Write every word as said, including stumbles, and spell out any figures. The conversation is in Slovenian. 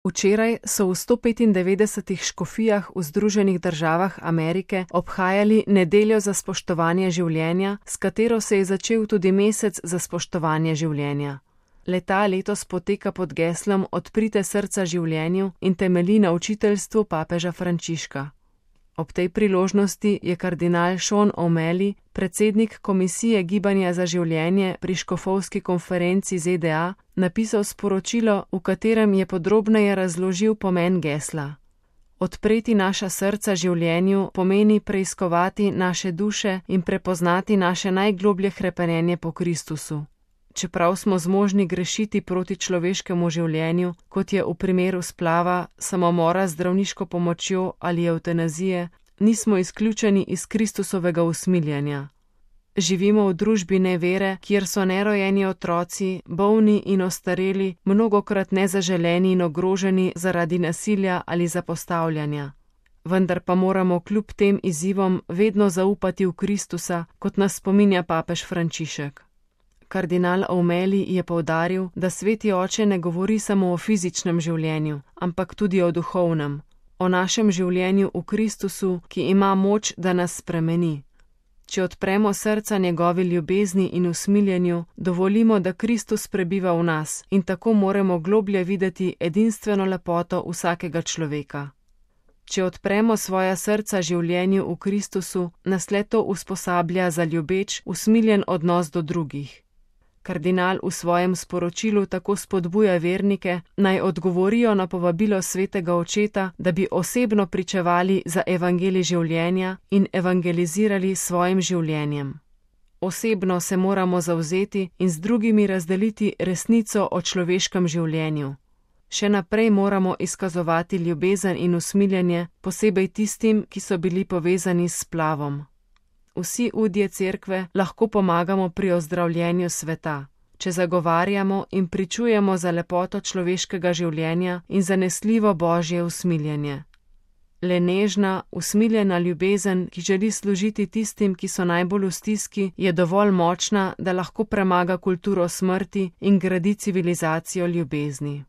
Včeraj so v sto petindevetdesetih škofijah v Združenih državah Amerike obhajali nedeljo za spoštovanje življenja, s katero se je začel tudi mesec za spoštovanje življenja. Le-ta letos poteka pod geslom Odprite srca življenju in temelji na učiteljstvu papeža Frančiška. Ob tej priložnosti je kardinal Sean O'Malley, predsednik Komisije Gibanja za življenje pri škofovski konferenci Z D A, napisal sporočilo, v katerem je podrobneje razložil pomen gesla. Odpreti naša srca življenju pomeni preiskovati naše duše in prepoznati naše najgloblje hrepenenje po Kristusu. Čeprav smo zmožni grešiti proti človeškemu življenju, kot je v primeru splava, samomora z zdravniško pomočjo ali evtanazije, nismo izključeni iz Kristusovega usmiljenja. Živimo v družbi nevere, kjer so nerojeni otroci, bolni in ostareli, mnogokrat nezaželeni in ogroženi zaradi nasilja ali zapostavljanja. Vendar pa moramo kljub tem izzivom vedno zaupati v Kristusa, kot nas spominja papež Frančišek. Kardinal O'Malley je poudaril, da Sveti Oče ne govori samo o fizičnem življenju, ampak tudi o duhovnem, o našem življenju v Kristusu, ki ima moč, da nas spremeni. Če odpremo srca njegovi ljubezni in usmiljenju, dovolimo, da Kristus prebiva v nas in tako moremo globlje videti edinstveno lepoto vsakega človeka. Če odpremo svoja srca življenju v Kristusu, nas le to usposablja za ljubeč, usmiljen odnos do drugih. Kardinal v svojem sporočilu tako spodbuja vernike, naj odgovorijo na povabilo svetega očeta, da bi osebno pričevali za evangelij življenja in evangelizirali s svojim življenjem. Osebno se moramo zavzeti in z drugimi razdeliti resnico o človeškem življenju. Še naprej moramo izkazovati ljubezen in usmiljenje, posebej tistim, ki so bili povezani s splavom. Vsi udje cerkve lahko pomagamo pri ozdravljenju sveta, če zagovarjamo in pričujemo za lepoto človeškega življenja in zanesljivo božje usmiljenje. Le nežna, usmiljena ljubezen, ki želi služiti tistim, ki so najbolj v stiski, je dovolj močna, da lahko premaga kulturo smrti in gradi civilizacijo ljubezni.